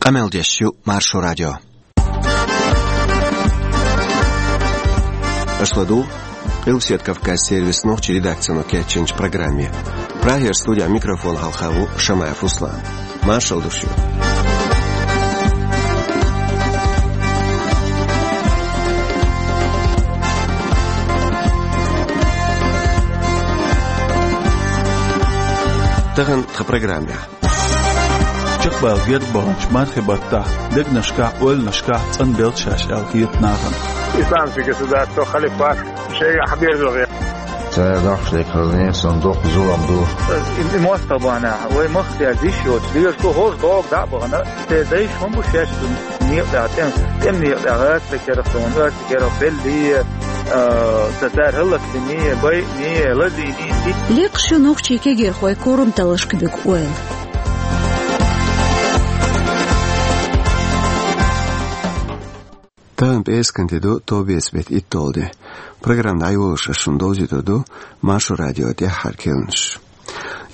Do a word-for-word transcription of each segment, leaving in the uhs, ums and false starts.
Къамел деш ю Маршо радио. Аша ладугӀу Къилбаседа Кавказан сервисан нохчийн редакцино кечйинчу программе. Прагера студехь микрофон хьалха ву Шамаев Руслан. Маршалла ду шуьга. Тахана тхан программехь. Чекхбала герга баханчу мархийн баттахь дегнашкахь а, ойланашкахь а цӀанбелла шаьш аьлла хета нахана. Исламский государство, халифат, шайга хьаберзо гӀе. Цара доккхуш дерг хазне, сан доккха зулам ду. И, и мостагӀ бахьанехь, вай махка деш йоцу, дезаш ду хӀорш догӀу дӀа а бахана, те дайша хӀун бу шаьш ду некъа тӀехь, тӀем, тӀеман некъа тӀехь, гӀазкхийн керахь, тӀеман, оьрсийн керахь, беллий, а, ца цара хӀаллакдиний, байъиний, лазийний. Лекхаш ю нохчийн кегийрхой курам таллашка буьгу ойла. Тахана пӀераскан де ду, товбеца беттан итталгӀа де. Программа дӀайолош ас шуна довзуьйтур ду Маршо радион тӀаьххьара керланаш.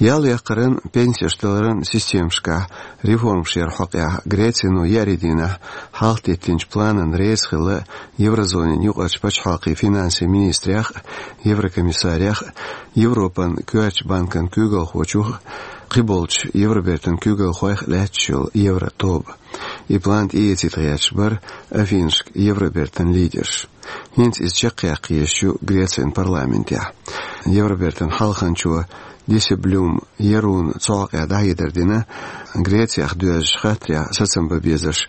Ял яккхаран, пенсеш даларан системашкахь реформаш яран хьокъехь Грецино еарин дийнахь хьалхадеттинчу планна реза хилла еврозонин юкъарчу пачхьалкхийн финансийн министрех а, еврокомиссарех а, Европан коьртачу банкан куьйгалхочух а, кхиболчу Евробертан куьйгалхойх а лаьтташ йолу евротоба. И план тӀеэцийта гӀерташ бара Афинашка Евробертан лидерш. ХӀинца иза чекхъяккха езаш ю Грецин парламентехь. Евробертан хьалханчо Дисельблюм Яруна цу хьокъехь дӀахьедар дина, Грецех доьзначу хаттарехь сацам бан безарш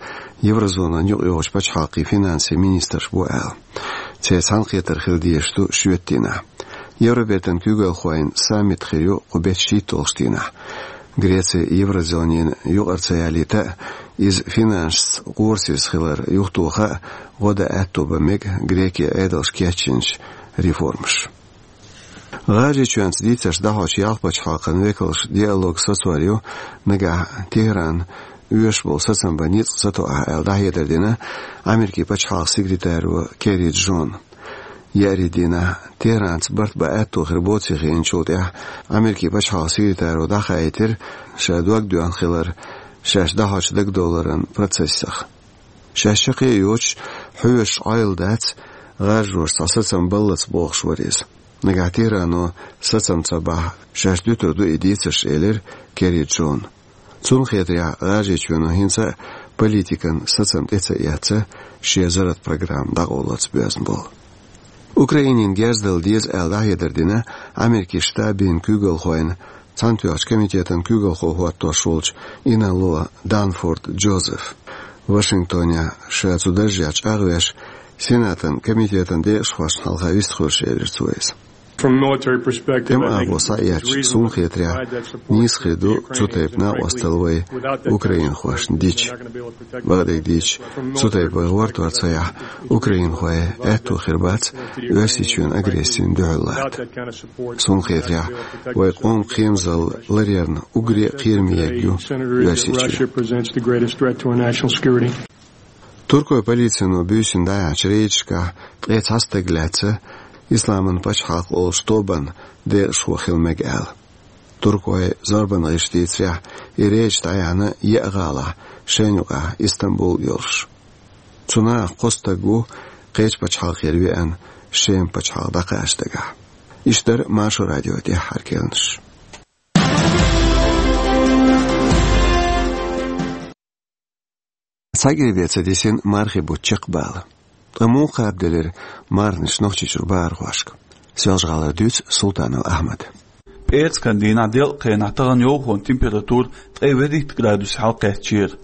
еврозонан юкъайогӀучу пачхьалкхийн финансийн министраш бу аьлла. Церан цхьаьнакхетар хила дезаш ду шоьтан дийнахь. Евробертан куьйгалхойн саммит хир ю кху беттан шийтталгӀачу дийнахь. Греци еврозонина юкъара ца ялийта а, иза финансашца къорсеза хилар юхатоха а, гӀо дан аьтто бан мега Грекин Ӏедалша кечйинчу реформаша. ГӀажарийчоьнца дийцарш дӀахьочу ялх пачхьалкхан векалш диалог сацор ю, нагахь Тегеран оьшуш болу сацам бан ницкъ ца тоахь аьлла, дӀахьедар дина Америкин пачхьалкхан секретаро Керри Джона. Еарин дийнахь Тегеранца барт бан аьтто хир боций хиъначул тӀаьхьа Америкин пачхьалкхан секретаро дӀахаийтира, ша дог доьхна хилар шаьш дӀахьочу дагадовларан процессах. Шаьш чаккхе а йоцуш, хьоьжуш Ӏойла дац, гӀажаршца сацам баллалц бохуш вара иза. Нагахь Тегерано сацам ца бахь, шаьш дуьтур ду и дийцарш, элира Керри Джона. Цунна хетарехь, ГӀажарийчоьно хӀинца а политикан сацам тӀе ца эцна, шен зарратан программа дӀакъовлалц боьзна болу. Украинина герз дала деза аьлла, дӀахьедар дина Америкин штабийн куьйгалхойн цхьаьнатоьхначу комитетан куьйгалхо хӀоттош волчу инарло Данфорд Джозефа. Вашингтонехь ша цу даржехь чӀагӀвеш, Сенатан комитетан декъашхошна хьалха вистхуьлуш, элира цо иза. From a military perspective, I think тӀеман агӀор схьаэцча, суна хетарехь, нийса хир ду цу тайпа накъосталла вай украинхошна дича. Бакъдерг дийцича, цу тайпа вай гӀортор ца яхь, украинхой аьтто хир бац Оьрсийчоьнан агрессина дуьхьал лата. Суна хетарехь, вай къоман кхерамзалла ларъярна уггаре а кхераме ерг ю Оьрсийчоь. Туркойн полицино буьйсанна дӀаяьхьначу рейдашкахь ткъе цхьа стаг лаьцна, Исламан пачхьалкх олучу тобанан декъашхо хила мега аьлла. Туркойн зорбанан гӀирсаша дийцарехь, и рейдаш дӀаяьхьна еа гӀалахь, шайна юкъахь Истамбул йолуш. Цу нахах кхо стаг ву кхечу пачхьалкхера веана, Шеман пачхьалкх дӀакхача дагахь. Иштта дара Маршо радион тӀаьххьара керланаш. Цхьа гергга ца дисина мархийн бутт чекхбала. Ткъа муха кхаба делира марханаш Нохчийчуьра бахархошка? Соьлжа-ГӀалара дуьйцу Султанов Ахьмада. ПӀераскан дийнахь делкъа хенахь тахана йовхонан температура ткъе вуьрхӀитта градусе хьалакхаьчнера.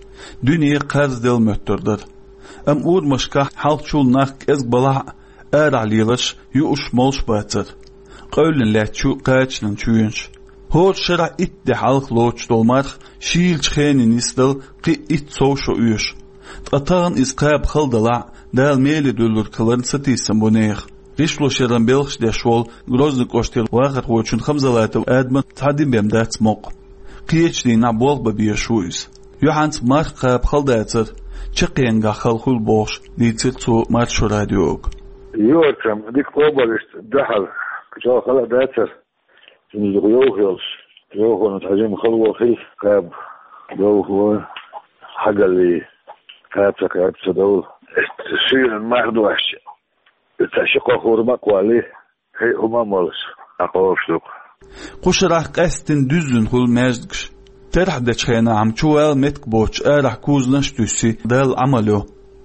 Дуьне кхарзделла моьттур дара. Амма урамашкахь хьалхачул нах кӀезиг балахь а, арахь леларш юуш-молуш бацара. Къевлина лаьтташ ю кхачанан чоьнаш. ХӀора шарахь итт де хьалха лоцуш долу марха шийлачу хене нисдала кхин а итт сов шо оьшу. Ткъа тахана иза кхаба хала далахь а, Дала меле дуьллург хиларна сатийсам бу нехан. ГӀишлошъяран белхаш деш волу Грозный кӀоштара вахархочун Хамзалатов Адаман цхьа дин бен дац мукъа. Кхечу дийнахь болх бан безаш ву иза. Юьхьанца марха кхаба хала дацара, чаккхенгахь хала хуьлу бохуш, дийцира цо Маршо радиога. Йоцам дика къобалвеш дуьхьал, чӀогӀа хала а дацара. Цуьнан юха йовха йолуш, йовхонан цхьа жима хало хилла кхаба, йовхо. хьагалли, кхаца кхаьб ца довла. Шуьйран мах дош, цхьа ши-кхо хӀурма а кхолли, хӀей, хӀума а молуш, а кхобуш ду-кх. Кху шарахь къаьсттина дуьззина хуьлу маьждигаш. Терахь дечу хенахь-м чувала меттиг боцуш арахь кузанаш а туьссий, Далла Ӏамал йо.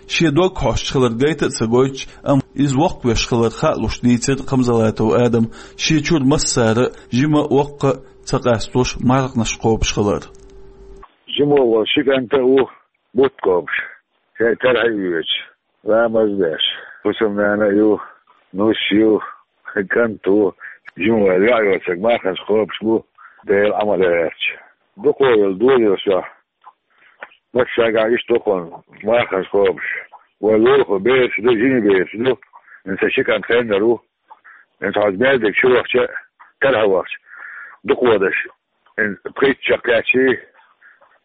Шен дог хьоьстуш хилар гайта а ца гойтуш, амма иза воккхавеш хилар хаа луш дийцира Хамзалатов Адама, шен чуьра массара а жима а, воккха а ца къастош, марханаш кхобуш хилар. Жима волу ши кӀант а ву бутт кхобуш, шайн тархье а воьдуш, ламаз а деш, хӀусамнана а ю, нус а ю, кӀант а ву, жима ваьлла йоӀ йоцург марханаш кхобуш бу, Делан Ӏамал яц. Дукха йолу дозаллаш чохь массаьрга иштта ду-кх марханаш кхобуш. Вай лулахо бераш ду, жима бераш ду, хӀинца ши кӀант хеннара ву, хӀинца хьо маьждиг чу вахча а, тархьа вахча а, дукха вадаш, хӀинца пхийтта шо кхаьччий,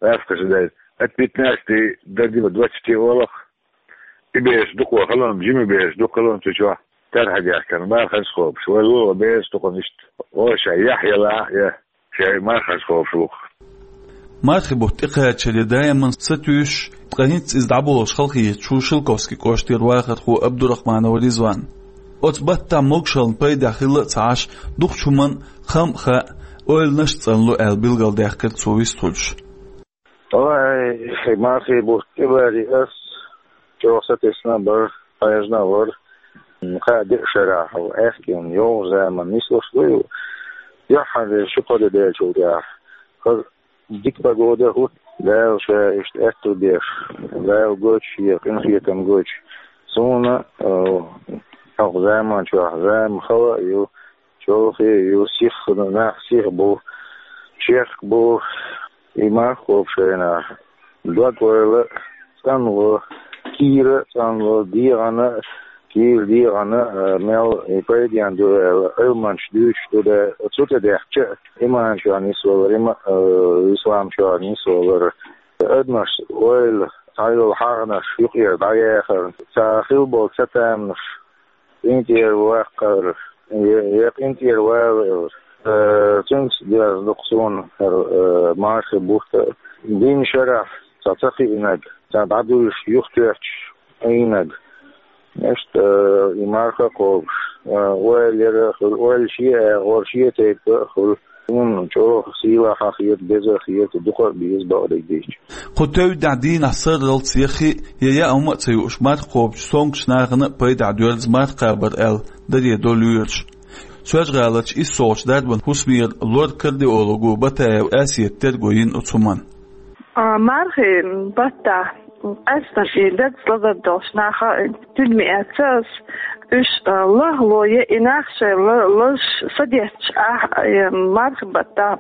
лаьцкъаш дай, от пятнадцати до двадцати олу-кх, и бераш дукха хилла, жима бераш дукха хилла цу чохь, тархьа дехкина, марханаш кхобуш. Вай лулахо бераш ду-кх иштта, оша яхь ялахь а, я шайн марханаш кхобуш ву-кх. Мархи бутт тӀекхачаре даиман сатуьйсуш, ткъа хӀинца иза дӀаболуш халахеташ ву Шелковски кӀоштара вахархо Абдурахманов Ризван. Оцу баттахь могушаллин пайдехь хилла а ца Ӏаш, дукхачу хӀуманна хам а хаьа, ойланаш а цӀанло аьлла билгалдаьккхира цо вистхуьлуш. Ой, хӀей, мархи бутт тӀебаре ас чӀогӀа сатесна а бара, хьежна а вара. Кхаа-деа шарахь, хьо аьхкенан йовхачу заманна нислуш ду ю, яххьанера ши-кхо де даьллачул тӀаьхьа. ХӀара дика погода а хӀутту, Дала ша иштта аьтто беш, Дала гойтуш шен къинхетам гойтуш. Суна, э, хӀокху заман чохь зама хала а ю, чолхе а ю, сиха нах сиха бу, чехка бу, и марха кхобуш хенахь, дог-ойла а цӀанло, кийра а цӀанло, дегӀана а, кийра дегӀана а, мел и пайденна ду аьлла, Ӏилманчаш дуьйцуш ду, да, цу тӀе даьхча а, иман чохь нисвалар, има-, э, ислам чохь нисвалар, адамаш ойла, цхьайолу хьагӀнаш юкъера дӀаяхар, цхьа хилла болу цатаманаш, къинтӀера ваккхар, я, я къинтӀера валар. Э, цуьнца доьзна ду-кх суна хӀара, э, мархи бутт а. Дийнна шарахь цхьа ца хиънарг, цхьа дӀадуьйш юхатоьттуш Ӏийнарг. Иштта, э, и марха а кхобуш, э, ойла яра а хуьлу, ойла шен агӀор, шен тайпа а хуьлу. Суна чӀогӀа сийлахь а хета, беза а хета, дукха а беза, бакъдерг дийцича. Кху тевдехь дийнахь сарралц я хи а, я яа хӀума а ца юуш, марха кхобучу сонгучу нахана а пайдехь доьрзу марха кхабар аьлла, даре до лоьраш. Соьлжа-ГӀаларчу иссолгӀачу дарбан хӀусамера лор-кардиолого Батаева Асета терго йина оцу хӀуманна. А, мархи баттахь, къаьсттина и дагца лазар долуш нах а, тидаме эцна ас, уьш, а, лахло я и нах шайн ла-, лазаш садетташ ахь, а, мархи баттахь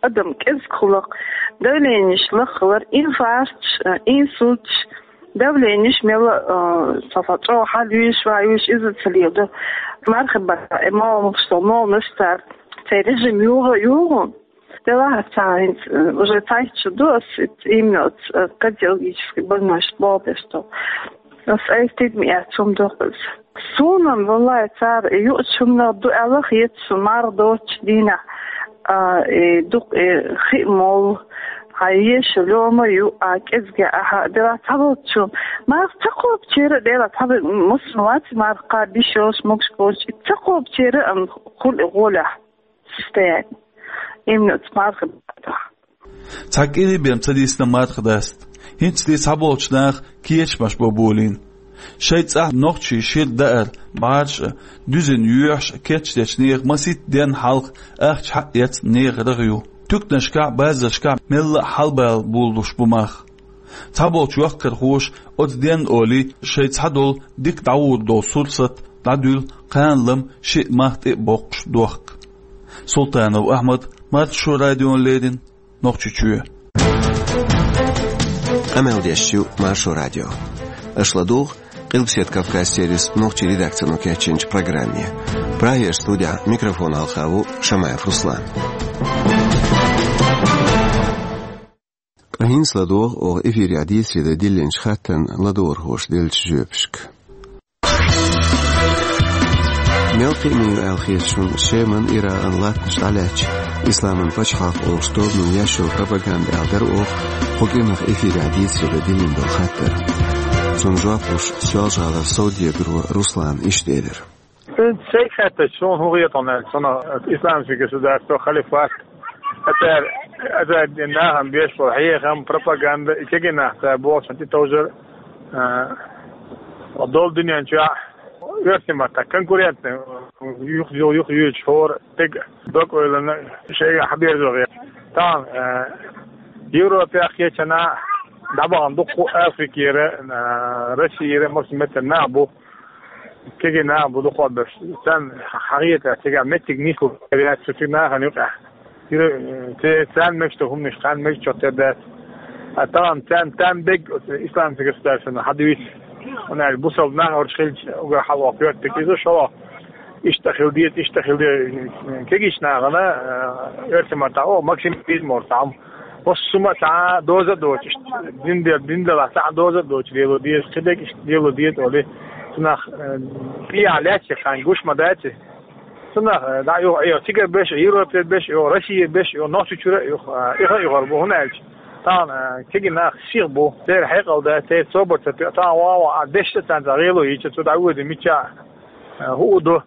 адам кӀезиг хула-кх, давленеш лаха хилар, инфаркташ, а, инсульташ, давленеш мелла а, а, цхьа-цхьа чӀогӀа хьалуьйш, ваюьйш, иза ца леладо. Мархи баттахь и молханаш, со молханаш цара, церан режим юха а юха. Делахь аса хӀинца, э, уже цхьайтта шу ду ас, именно оцу, э, кардиологический больничка болх беш долу. Ас айса тидаме эцна хӀума ду-кх иза. Суна-м, валлахӀи, цара юучу хӀуманах ду аьлла хета суна марха доцучу дийнахь, а, и дукха, и хи а молу, хьан еша лоьма а ю, а, кӀезиг ахьа, делахь цхьаболчу марха ца кхобучеран а, делахь цхьаболчу муьлхха вац марха кхаба йиш йолуш, могуш болчу, и ца кхобучеран а, ам, хуьлу и гӀолехь. Состояние. Именно оцу мархи баттахь. Цхьа кӀири бен ца дисна марха даста. ХӀинцале цхьаболчу наха кечамаш бо болийна. Шайн цӀахь нохчий шира даар, бӀараш а, дуьзина йоьхьаш а кечдечу нехан масийтта денна хьалха ахча хьаэцна нехан рагӀ ю. Туьканашкахь а, базаршкахь а мелла а хьалабала болалуш бу марха. Цхьаболчу йохкархоша оцу денна олий, шайн цхьадолу дика дӀагӀур долу сурсат дӀадуьллу, кхана-лама шиъ марха тӀе а боккхуш дохку. Султанов Ахьмад, Маршо радиона леррина, Нохчийчоь. Къамел деш ю Маршо радио. Аша ладугӀу Къилбаседа Кавказ сервисан нохчийн редакцино кечйинчу программе. Прагерчу студехь микрофон хьалха ву Шамаев Руслан. Ткъа хӀинца ладогӀа оха эфирехь дийцаре дан диллинчу хаттарна ладогӀархоша деллачу жоьпашка. Мел кхиъна ю аьлла хета шуна Шеман, Иракъан латтанаш дӀалаьцча, Исламан пачхьалкх олуш тобанан еш йолу пропаганда аьлла дара оха кху кӀиранах эфирехь дийцаре дан диллина долу хаттар. Цунна жоп луш, Соьлжа-ГӀалара совдегаро Руслана иштта элира. ХӀинца шайга хаьттича, суна хӀун хета аьлча, цунах исламский государство, халифат, а цара, а цара нахана беш болу хьехам, пропаганда, и кегий нах цара бохучунна тӀетовжар, а, долу дуьнен чохь оьрсийн маттахь конкурентный, юха, юха, юха юьйцуш хӀора стеган дог-ойланна шайгахь хьаберзо гӀерта. Тахана, а, Европехь кхечанхьа дӀабахана дуккха а Африкера, а, Россияра, массо меттера нах бу. Кегий нах бу дукхахберш. Царна хьахетарехь, цигахь меттиг нислур яц цу нахана юкъахь. Церан, э, царна мегаш долу хӀуманаш кхарна мегаш чот тера дац. А тахана царна, царна дерг оцу исламский государствана хьадуьйцу. ХӀунда аьлча бусалба нах оцу хилча уггар хьалха коьртаниг иза шолгӀа. Иштта хила деза, иштта хила деза. Кегийчу нахана, э, оьрсийн маттахь, о, максимализм олу цхьа хӀума. Массо хӀума цхьа а доза а доцуш, дин де-, дин делахь цхьа а доза а доцуш лело деза, кхидерг иштта лело деза олий, цунах, э, тӀехьа лаьцна хан гуш ма дац и. Цунах, э, дӀа юха, юха цигара беш, Европера беш, юха Россия беш, юха Нохчийчуьра, юха, э, иха а юхар бу, хӀунда аьлча тахана, э, кегий нах сиха бу, церан хьекъал дац, церан собар ца тоьу, тахана ван а ван а дешна царна цхьа гӀело йийча, цу дӀавоьду мичча а, хӀу а до,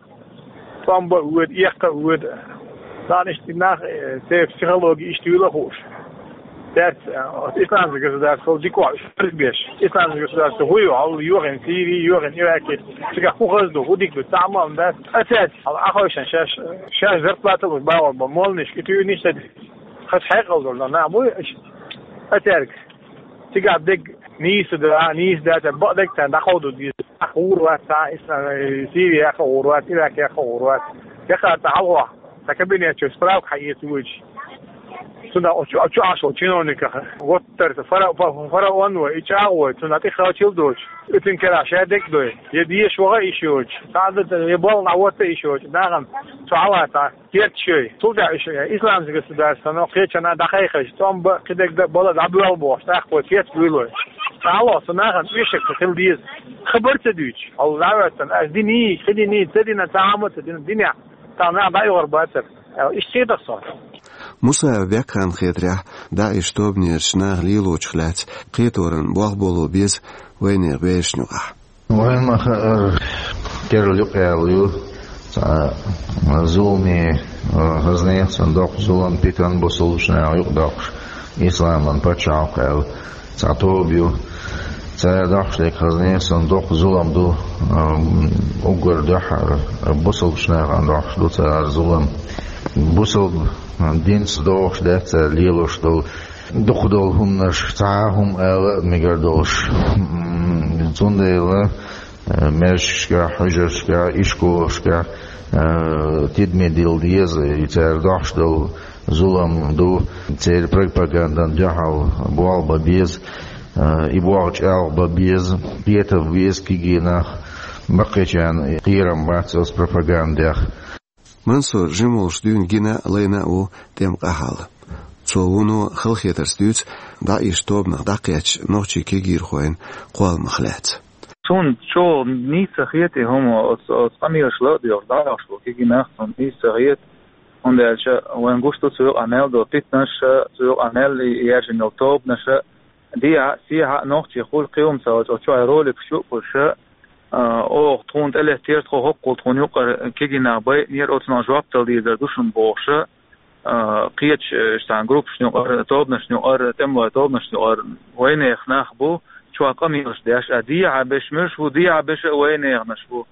тӀом бан а воьду, эккха а воьду. Царна иштта нах, э, церан психологи иштта юйла а хууш. Цаьрца, э, оцу исламский государствол дика вахь уьш беш. Исламский государство хӀу ю, хьал йохийна Сири, йохийна Ираки, цигахь хӀу хаза ду, хӀу дика ду, цхьа а ма дац. А цаьрца, хьал Ӏа хойшан шаьш, шаьш зарплата луш бахьор бан молланаш, и туьйнаш ца деш. Хаза хьекъал долу нах бу уьш. А цаьрга. Цигахь дерг нийса ду, а, нийса дац, бакъдерг царна дӀакховдо деза. Ахь гӀур вац, цхьа а ислам, э, Сири яха гӀур вац, Ирак яха гӀур вац. Яккхар цхьа хьалха, цхьа кабинет чу справка хьаэца воьдуш. Цунах чу, чу Ӏаш волу чиновниках, вот тара фара-, фа-, фараон вай, и чӀагӀо вай, цунах тӀе халчил доцуш. Уьцун керахь ша дерг дой, я деша ваха а йиш йоцуш, цхьа а ду, я болх дӀахӀотта а йиш йоцуш, нахана цу хьалха цхьа. Керташ йой. Цул тӀаьхьа уьш, э, исламский государствано кхечанхьа дӀакхайкхийча, тӀом бан, кхидерг дан бала дӀабоьлла бохуш, тӀаккха вай керта буьйлой. Цхьа а ло, цу нахана оьшург ца хила деза. Хабар ца дуьйцуш, хьал дӀахӀоьттина, ас диний, кхин диний, ца дина, цхьа а хӀума ца дина, динехь, цхьа нах дӀайохур бацара. Э, иштта хетах со. Мусаев Бекханна хетарехь, ДАИШ тобанерчу наха лелочух лаьцна кхеторан болх боло беза вайнехан берашна юкъахь. Вайн ма хаьара, керла юкъа яьлла ю, цхьа зуламе, а, хаза нехан санна доккха зулам, питана бусалбачу наха юкъа доккхуш, исламан пачхьалкх аьлла, цхьа тоба ю. Цара доккхуш дерг хаза нехан санна доккха зулам ду, а, уггар дуьххьара, а, бусалбачу нахана доккхуш ду цара зулам. Бусалба динца догӀуш дац цара лелош долу дукха долу хӀуманаш, цхьа а хӀума ала а мегар долуш. М, цундела, э, маьждигашкахь, хьуьжаршкахь, ишколашкахь, э, тидаме дилла деза, и цара дохьуш долу зулам ду, церан пропагандана дуьхьал болх бан беза, э, и болх чӀагӀ бан беза, кхетар беза кегий нах, баккхийчарна кхерам бац оцу пропагандех. Мансур жима волуш дуьйна гина а, лайна а ву тӀеман къахьалла. Цо вуно халахетарца дуьйцу ДАИШ тобанах дӀакхаьчначу нохчийн кегийрхойн кхолламах лаьцна. Суна чӀогӀа нийса ца хета и хӀума, оцу, оцу къамелаш ла а доьхуш, дӀадохуш болу кегий нах суна нийса ца хета, хӀунда аьлча вайн гуш ду цу юкъахь мел долу питанаш а, цу юкъахь мел яьржина йолу тобанаш а, дехьа а, сехьа а нохчий хуьлу кхин хӀума ца хилча, оцу чохь роликаш чу а хуьлуш а, а, оха тхуна тӀелеттера, тхо хӀоккхул тхуна юкъара кегий нах байинера, оцунах жоп дала дезар ду шуна бохуш а, а, кхечу, э, цхьана группашна юкъара, тобанашна юкъара, тӀемалойн тобанашна юкъара вайнехан нах бу, чохь къамелаш деш а, дехьа берш муьлш бу, дехьа берш а вайнеханаш бу.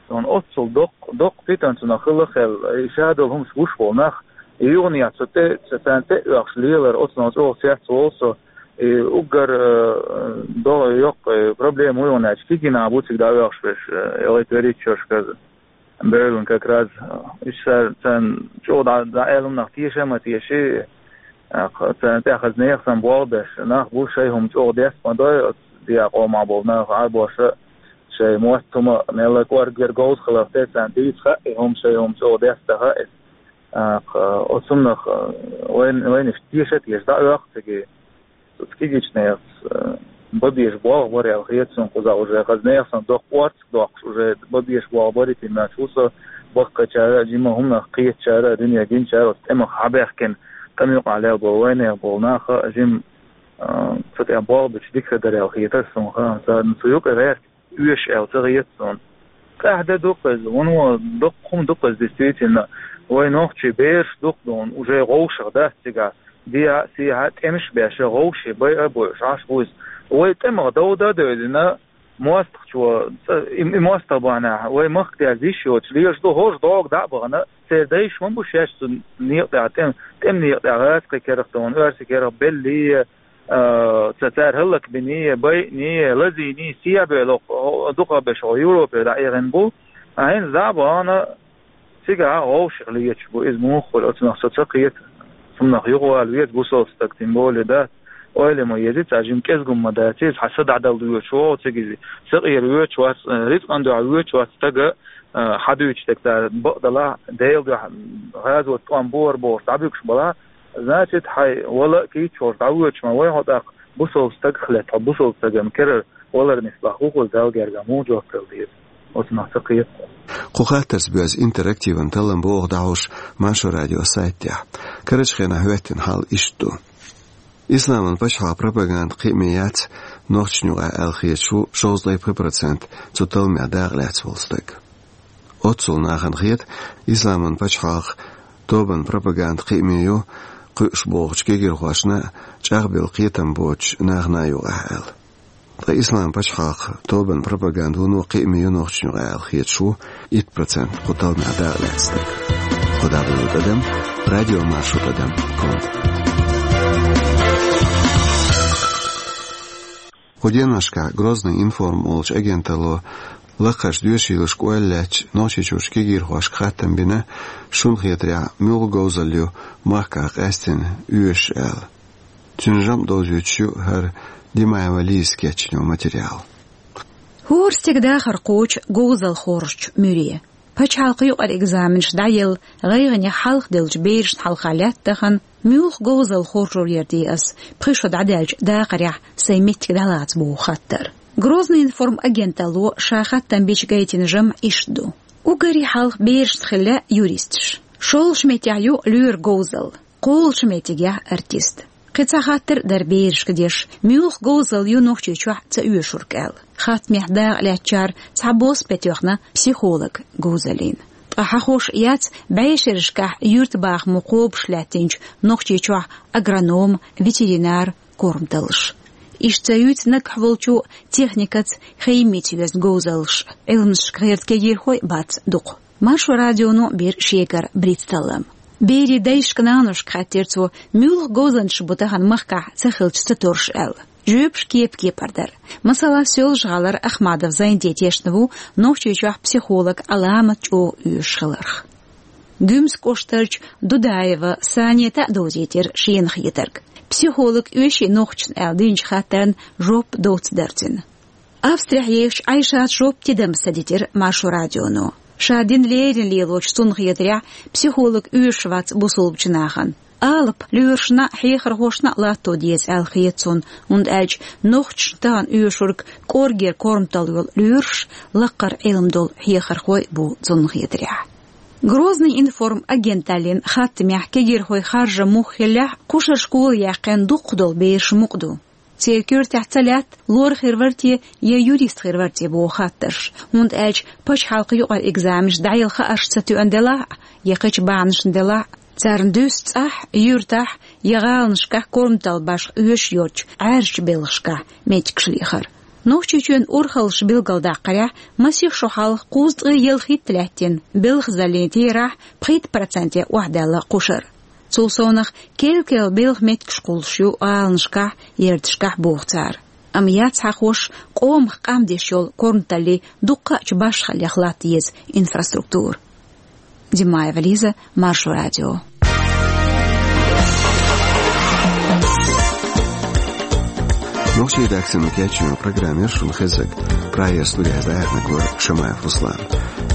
Суна оццул доккха, доккха питана цунах хилла а хилла, и ша долу хӀумаш гуш болу нах, и юханехьа цу тӀе, цу царна тӀе а оьхуш лелар, оцунах чӀогӀа цецволу со, и уггар, э, догӀу йоккха, э, проблема ву юханехьа, кегий нах бу цига дӀаоьхуш берш, э, гӀайт верриг чошказа, бевлла как раз, э, иштта царна чӀогӀа дӀа, дӀа аьлла хӀуманах теша а ма теший, э, царна тӀехь хаза нехан санна болх беш, нах бу шайн хӀума чӀогӀа деста ма дой, оцу дехьа къомах болу нах, Ӏарбоша, шайн мотт хӀума мелла кӀорггера говза хиларх тера царна дийца хаьа и хӀума, шайн хӀума чӀогӀа деста хаьа и. А, кх-, оцунах, а, вайн, вайнаш теша а теша дӀаоьху цига. Цу кегийчу нехан, а, бан безаш болх бара аьлла хета суна кхузахь уже. Хаза нехан санна доккха орцах доккхуш уже бан безаш болх барий тиммачу ву со. баккхийчара а, жимма хӀуманах кхетачара а, дуьне гинчара а, оцу тӀемах хьабаьхкина, тӀеман юкъахь лелла болу вайнех болу нах а жимма, а, цу тӀехь болх бича дика хир дара аьлла хетара суна. Царна цу юкъа гӀерта оьшу аьлла ца хета суна. ТӀаьхьа де ду-кх иза, вуно дуккха хӀума ду-кх иза, действительно. Вай нохчий бераш дукха ду, уже гӀовшах дац цигахь, дехьа а, сехьа а тӀемаш а беш, гӀовший байа а бойуш Ӏаш бу иза. Вай тӀемах дов дан а девлла, мостагӀчо, цӀа-, и, и мостагӀа бахьанехь, вай махка дерза йиш йоцуш лелаш ду, хӀорш дӀогга дӀа а бахана, церан дайша ма бу шаьш цу некъа тӀехь, тӀем-, тӀеман некъа тӀехь гӀазкхийн керахь тахана, оьрсийн керахь беллий, а, ца-, цара хӀаллакбиний, байиний, лазийний, сехьабевлла, хӀо-, дукхахберш хӀо Европе дӀаэхна бу. Ӏайна дӀа а бахана, цигахь гӀовшах леташ бу, иза муха хуьлу, оцунах со ца кхета. Цунах юхавала веза бусалба стаг, тем более, да, ойла ма еза, цхьа жима кӀезиг хӀума ма дац иза, хьан са дӀадала воьдуш ву цига иза, са къера воьдуш вац, э, рицкъан дуьхьа воьдуш вац стага, э, хьадуьйцуш дерг цара бакъдалахь, Делан дуьхьа гӀазот тӀом бора бохуш дӀабуьгуш балахь, значит, хьайн вала а кийча волуш дӀавоьдуш ма вай хьо тӀаккха, бусалба стагах лаьтта хьо, бусалба стагана керара валар нислахь, хӀун хуьлу Далла гергахь, муха жоп дала деза? Оцунах ца кхета. Кху хаттарца боьзна интерактиван таллам боху дӀахьуш Маршо радион сайтехь. Карарчу хенахь хӀоьттина хьал иштта ду. Исламан пачхьалкхан пропаганда кхиаме яц нохчашна юкъахь аьлла хеташ ву шовзткъе пхи процент цу талламехь дакъа лаьцна волу стаг. Оццул нахана хета, исламан пачхьалкхан тобанан пропаганда кхиаме ю кхуьуш бохучу кегирхошна а, чӀагӀбелла кхетам боцучу нахана а юкъахь аьлла. Ткъа исламан пачхьалкхан тобанан пропаганда вуно кхиаме ю нохчашна юкъахь аьлла хеташ ву итт процент кху талламехь дакъа лаьцна стаг. Кху дӀаболу тӀадам радиомаршо тӀадам ком. Кху деношкахь Грозный информ олучу агенталло лакхарчу доьшийлашка ойла лаьцча Нохчийчуьрчу кегирхошка хаттам бина, шуна хетарехь, муьлха говзалла ю махкахь къаьстина оьшуш аьлла. Цуьнан жамӀ довзуьйтуш ю хӀара Димаева Лизас кечйина материал. ХӀора стеган дахар кхочу говзалла хоржучу муьре. Пачхьалкхан юкъара экзаменаш дӀаелла, гӀайгӀанех хьалха деллачу берашна хьалха лаьтта тахана, муьлха говзалла хоржур яра те ас, пхи шо дӀадаьллачу дакъарехь сайн меттиг дӀалаца боху хаттар. Грозный информ агенталло ша хаттам бича гайтина жамӀ иштта ду. Уггаре хьалха берашна хилла юристаш. ШолгӀачу меттехь ю лоьран говзалла. КхоалгӀачу меттигехь артист. Кхин цхьа хаттар а дара берашка деш, муьлха говзалла ю Нохчийчохь ца оьшург аьлла. Хаттамехь дакъа лаьцначара цхьабосса бен тоьхна психолог говзаллина. Ткъа хьахош яц бӀешерашкахь юьртабахамо кхобуш лаьттинчу Нохчийчохь агроном, ветеринар, корматаллаш. Иштта ца юьйцу наггахь волчу техникаца, химица йоьзна говзаллаш, Ӏилманашка гӀерта кегирхой а бац дукха. Маршо радионо бира шегара брицталлам. Берийн дайшка, наношка хаьттира цо, муьлха говзанчаш бу тахана махкахь ца хилча ца торуш аьлла. Жоьпаш кепа-кепара дара. Масала, Соьлжа-ГӀалара Ахмадов Зайнти тешна ву Нохчийчохь психолог Ӏаламат чӀогӀа оьшуш хиларх. Гуьмсан кӀоштарчу Дудаева Санета а довзийтира шена хетарг. Психолог оьший нохчашна аьлла динчу хаттарна жоп доцца дара цуьнан. Австрехь ехачу Ӏайшас жоп тидамца дитира Маршо радионо. Ша дина леррина лелочу цунна хетарехь, психолог оьшуш вац бусулбачу нахана. Алапа лоьрашна а, хьехархошна а латто деза аьлла хета цунна, хӀунда аьлча нохчашна тахана оьшург кӀоргера корматалла йолу лоьраш, лаккхара Ӏилма долу хьехархой а бу цунна хетарехь. Грозный информ агенталлин хаттамехь кегирхой харжам муха хиллехь а, кхушара школа яьккхина дукхах долу бераш мукъа ду. Церан коьртехь ца лаьтта, лор хир вара те я юрист хир вара те боху хаттарш, хӀунда аьлча пачхьалкхан юкъара экзаменаш дӀаелла хаарш ца тоьъна делахь а, я кхечу бахьанашна делахь а, царна дуьсу цӀахь, юьртахь я гӀаланашкахь корматалла башха оьшуш йоцучу Ӏаьржачу белхашкахь меттигаш лехар. Нохчийчоьнан урхаллаша билгалдаккхарехь, масех шо хьалха кхузткъе ялхитта лаьттина белхазаллин терахь пхийтта проценте охьадаьлла кхушара. Цул совнах керла-керла белхан меттигаш кхуллуш ю гӀаланашкахь, ярташкахь, боху цара. Амма яц хьахош къомах къам деш йолу корматаллин дуккха а чу башхаллех латта еза инфраструктура. Димаева Лиза, Маршо радио. Нохчийн редакцино кечйина программа яра шуна хезнарг. Прагера студехь дӀаяьхьнарг вара Шамаев Руслан.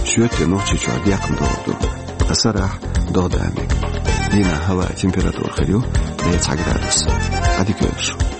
Шоьтан Нохчийчохь декхна догӀа ду. Ткъа сарахь догӀа дан мега. Дийнахь хӀаваан температура хир ю деца градус. Ӏадика йойла шу.